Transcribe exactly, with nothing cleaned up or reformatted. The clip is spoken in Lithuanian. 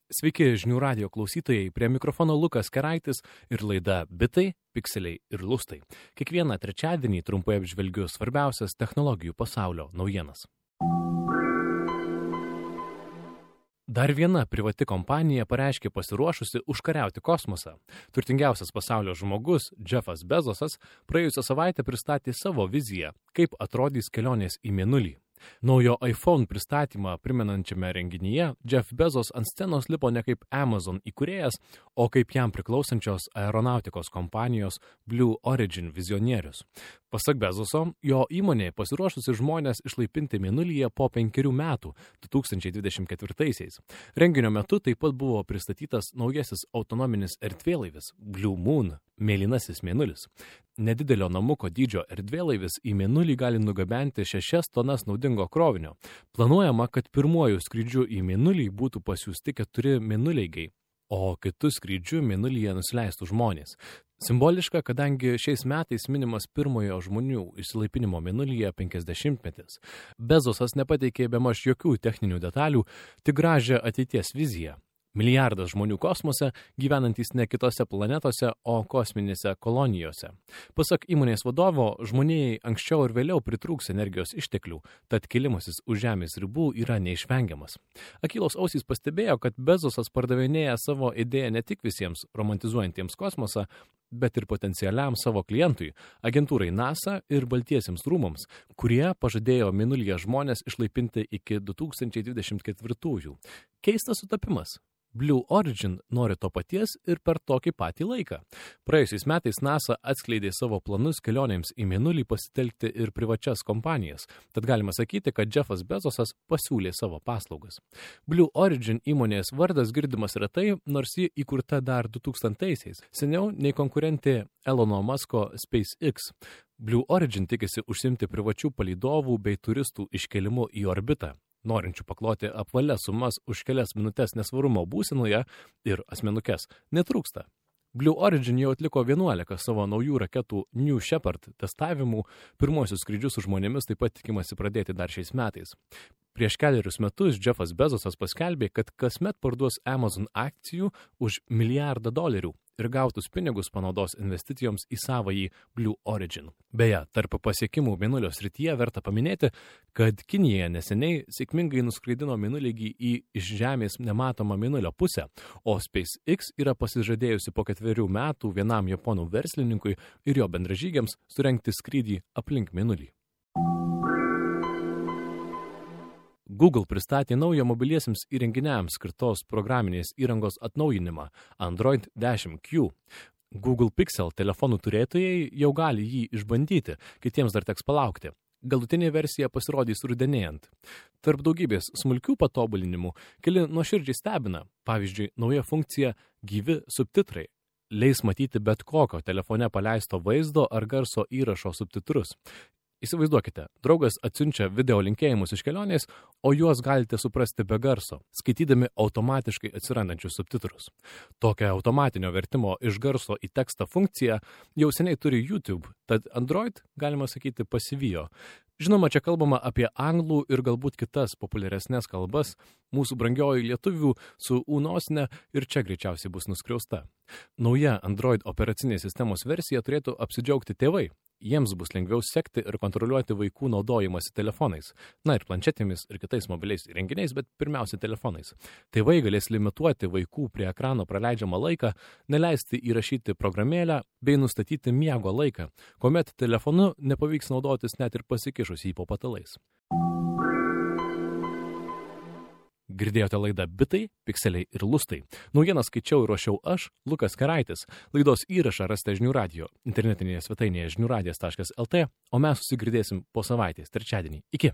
Sveiki žinių radijo klausytojai, prie mikrofono Lukas Keraitis ir laida Bitai, Pikseliai ir Lustai. Kiekvieną trečiadienį trumpai apžvelgiu svarbiausias technologijų pasaulio naujienas. Dar viena privati kompanija pareiškė pasiruošusi užkariauti kosmosą. Turtingiausias pasaulio žmogus, Jeffas Bezosas, praėjusią savaitę pristatė savo viziją, kaip atrodys kelionės į Mėnulį. Naujo iPhone pristatymą primenančiame renginyje Jeff Bezos ant scenos lipo ne kaip Amazon įkūrėjas, o kaip jam priklausančios aeronautikos kompanijos Blue Origin vizionierius. Pasak Bezoso, jo įmonė pasiruošusi žmonės išlaipinti Mėnulyje po penkerių metų, du tūkstančiai dvidešimt ketvirtaisiais. Renginio metu taip pat buvo pristatytas naujasis autonominis erdvėlaivis Blue Moon, mėlynasis Mėnulis. Nedidelio namuko dydžio erdvėlaivis į Mėnulį gali nugabenti šešias tonas naudingo krovinio. Planuojama, kad pirmuoju skrydžiu į Mėnulį būtų pasiųsti keturi mėnuleigiai, o kitų skrydžių Mėnulyje nusileistų žmonės. Simboliška, kadangi šiais metais minimas pirmojo žmonių išsilaipinimo Mėnulyje penkiasdešimtmetis. Bezosas nepateikė bemaž jokių techninių detalių, tik gražią ateities viziją. Milijardas žmonių kosmose, gyvenantys ne kitose planetose, o kosminėse kolonijose. Pasak įmonės vadovo, žmonijai anksčiau ir vėliau pritrūks energijos išteklių, tad kilimasis už Žemės ribų yra neišvengiamas. Akylos ausys pastebėjo, kad Bezosas pardavinėja savo idėją ne tik visiems romantizuojantiems kosmosą, bet ir potencialiam savo klientui, agentūrai NASA ir Baltiesiems rūmams, kurie pažadėjo Mėnulyje žmonės išlaipinti iki du tūkstančiai dvidešimt ketvirtųjų. Keistas sutapimas. Blue Origin nori to paties ir per tokį patį laiką. Praėjusiais metais NASA atskleidė savo planus kelionėms į Mėnulį pasitelkti ir privačias kompanijas, tad galima sakyti, kad Jeffas Bezosas pasiūlė savo paslaugas. Blue Origin įmonės vardas girdimas retai, nors ji įkurta dar du tūkstantaisiais, seniau nei konkurentė Elono Musko SpaceX. Blue Origin tikisi užsimti privačių palydovų bei turistų iškelimu į orbitą. Norinčių pakloti apvalias sumas už kelias minutės nesvarumo būsenoje ir asmenukes netrūksta. Blue Origin jau atliko vienuolika savo naujų raketų New Shepard testavimų, pirmosius skrydžius su žmonėmis taip pat tikimasi pradėti dar šiais metais. Prieš keliarius metus Jeffas Bezosas paskelbė, kad kasmet parduos Amazon akcijų už milijardą dolerių ir gautus pinigus panaudos investicijoms į savąjį Blue Origin. Beje, tarp pasiekimų Mėnulio srityje verta paminėti, kad Kinija neseniai sėkmingai nuskraidino Mėnulį į iš Žemės nematomą Mėnulio pusę, o SpaceX yra pasižadėjusi po ketverių metų vienam japonų verslininkui ir jo bendražygiams surengti skrydį aplink Mėnulį. Google pristatė naują mobiliesiems įrenginiams skirtos programinės įrangos atnaujinimą Android dešimt Q. Google Pixel telefonų turėtojai jau gali jį išbandyti, kitiems dar teks palaukti. Galutinė versija pasirodys rudenėjant. Tarp daugybės smulkių patobulinimų keli nuoširdžiai stebina, pavyzdžiui, nauja funkcija gyvi subtitrai. Leis matyti bet kokio telefone paleisto vaizdo ar garso įrašo subtitrus. Įsivaizduokite, draugas atsiunčia video linkėjimus iš kelionės, o juos galite suprasti be garso, skaitydami automatiškai atsirandančius subtitrus. Tokią automatinio vertimo iš garso į tekstą funkciją jau seniai turi YouTube, tad Android, galima sakyti, pasivijo. Žinoma, čia kalbama apie anglų ir galbūt kitas populiaresnės kalbas, mūsų brangioji lietuvių su ūnosne ir čia greičiausiai bus nuskriausta. Nauja Android operacinės sistemos versija turėtų apsidžiaugti tėvai. Jiems bus lengviau sekti ir kontroliuoti vaikų naudojimąsi telefonais, na ir planšetėmis ir kitais mobiliais įrenginiais, bet pirmiausia telefonais. Tėvai galės limituoti vaikų prie ekrano praleidžiamą laiką, neleisti įrašyti programėlę bei nustatyti miego laiką, kuomet telefonu nepavyks naudotis net ir pasikišus jį po patalais. Girdėjote laidą Bitai, Pikseliai ir Lustai. Naujieną skaičiau ir ruošiau aš, Lukas Keraitis. Laidos įrašą rasite žinių radijo internetinėje svetainėje žinių radijas taškas lt, o mes susigirdėsim po savaitės, trečiadienį. Iki!